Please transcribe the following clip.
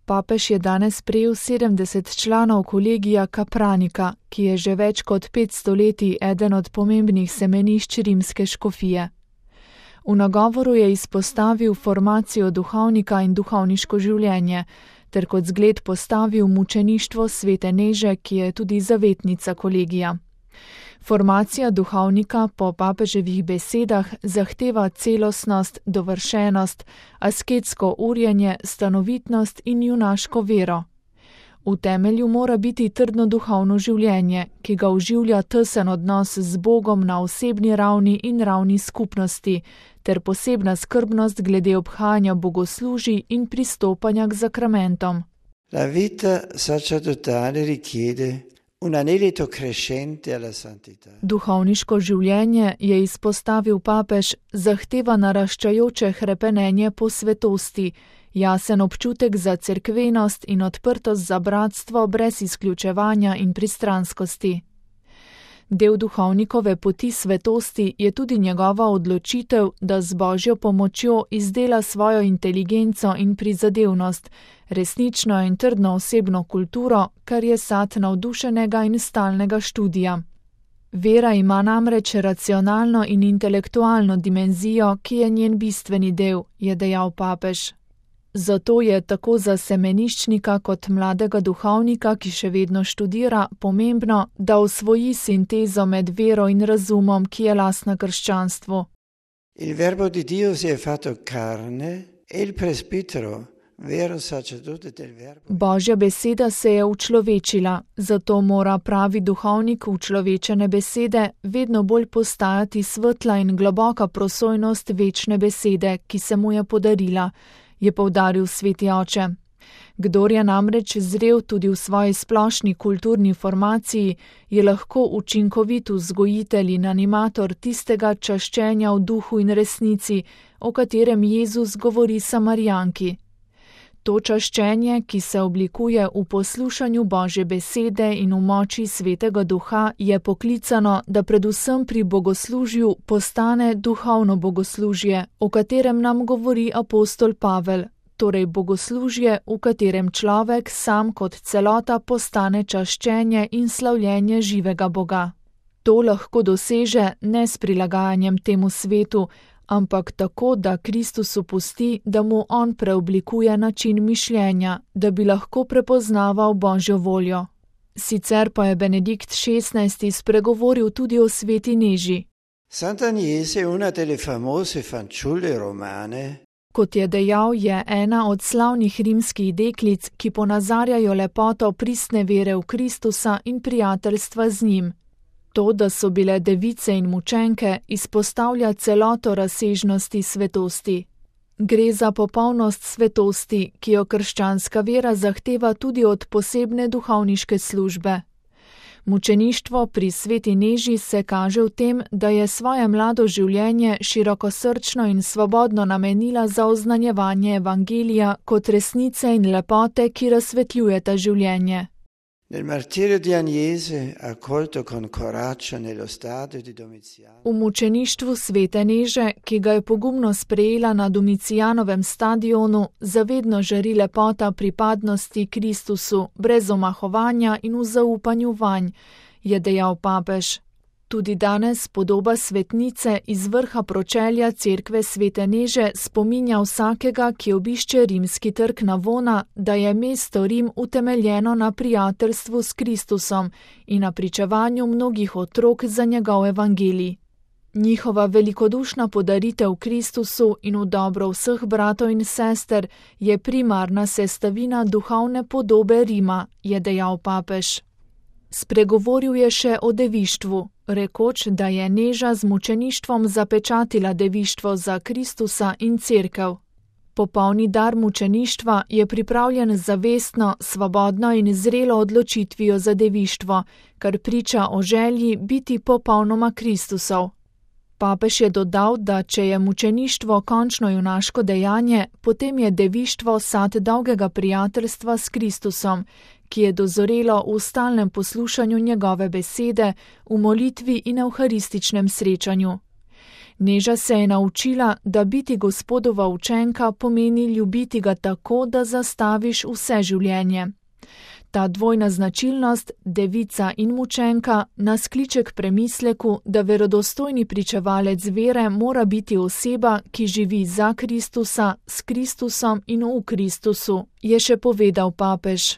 Papež je danes prejel 70 članov kolegija Kapranika, ki je že več kot 500 leti eden od pomembnih semenišč rimske škofije. V nagovoru je izpostavil formacijo duhovnika in duhovniško življenje, ter kot zgled postavil mučeništvo svete Neže, ki je tudi zavetnica kolegija. Formacija duhovnika po papeževih besedah zahteva celostnost, dovršenost, asketsko urjenje, stanovitnost in junaško vero. V temelju mora biti trdno duhovno življenje, ki ga oživlja tesen odnos z Bogom na osebni ravni in ravni skupnosti, ter posebna skrbnost glede obhajanja bogoslužij in pristopanja k zakramentom. La vita sacerdotale richiede un anelito crescente alla santità. Duhovniško življenje, je izpostavil papež, zahteva naraščajoče hrepenenje po svetosti, jasen občutek za cerkvenost in odprtost za bratstvo brez izključevanja in pristranskosti. Del duhovnikove poti svetosti je tudi njegova odločitev, da z Božjo pomočjo izdela svojo inteligenco in prizadevnost, resnično in trdno osebno kulturo, kar je sad navdušenega in stalnega študija. Vera ima namreč racionalno in intelektualno dimenzijo, ki je njen bistveni del, je dejal papež. Zato je tako za semeniščnika kot mladega duhovnika, ki še vedno študira, pomembno, da osvoji sintezo med vero in razumom, ki je lastna krščanstvu. Il verbo di Dio si è fatto carne e il presbitero, vero sacerdote del verbo. Božja beseda se je učlovečila, zato mora pravi duhovnik učlovečene besede vedno bolj postajati svetla in globoka prosojnost večne besede, ki se mu je podarila, je poudaril sveti oče. Kdor je namreč zrel tudi v svoji splošni kulturni formaciji, je lahko učinkovit vzgojitelj in animator tistega čaščenja v duhu in resnici, o katerem Jezus govori Samarijanki. To čaščenje, ki se oblikuje v poslušanju Božje besede in v moči svetega duha, je poklicano, da predvsem pri bogoslužju postane duhovno bogoslužje, o katerem nam govori apostol Pavel, torej bogoslužje, v katerem človek sam kot celota postane čaščenje in slavljenje živega Boga. To lahko doseže ne s prilagajanjem temu svetu, ampak tako, da Kristusu pusti, da mu on preoblikuje način mišljenja, da bi lahko prepoznaval Božjo voljo. Sicer pa je Benedikt XVI. Spregovoril tudi o sveti Neži. Santa Agnese è una delle famose fanciulle romane. Kot je dejal, je ena od slavnih rimskih deklic, ki ponazarjajo lepoto pristne vere v Kristusa in prijateljstva z njim. To, da so bile device in mučenke, izpostavlja celoto razsežnosti svetosti. Gre za popolnost svetosti, ki jo krščanska vera zahteva tudi od posebne duhovniške službe. Mučeništvo pri sveti Neži se kaže v tem, da je svoje mlado življenje širokosrčno in svobodno namenila za oznanjevanje evangelija kot resnice in lepote, ki razsvetljujeta življenje. Nel martirio di Agnese, accolto con coraggio nello stadio di Domiciano. V mučeništvu svete Neže, ki ga je pogumno sprejela na Domicijanovem stadionu, zavedno žari lepota pripadnosti Kristusu, brez omahovanja in v zaupanju vanj, je dejal papež. Tudi danes podoba svetnice iz vrha pročelja cerkve svete Neže spominja vsakega, ki obišče rimski trg Navona, da je mesto Rim utemeljeno na prijateljstvu s Kristusom in na pričevanju mnogih otrok za njegov evangelij. Njihova velikodušna podaritev Kristusu in v dobro vseh bratov in sester je primarna sestavina duhovne podobe Rima, je dejal papež. Spregovoril je še o devištvu, rekoč, da je Neža z mučeništvom zapečatila devištvo za Kristusa in cerkev. Popolni dar mučeništva je pripravljen zavestno, svobodno in zrelo odločitvijo za devištvo, kar priča o želji biti popolnoma Kristusov. Papež je dodal, da če je mučeništvo končno junaško dejanje, potem je devištvo sad dolgega prijateljstva s Kristusom, ki je dozorelo v stalnem poslušanju njegove besede, v molitvi in evharističnem srečanju. Neža se je naučila, da biti Gospodova učenka pomeni ljubiti ga tako, da zastaviš vse življenje. Ta dvojna značilnost, devica in mučenka, nas kliče k premisleku, da verodostojni pričevalec vere mora biti oseba, ki živi za Kristusa, s Kristusom in v Kristusu, je še povedal papež.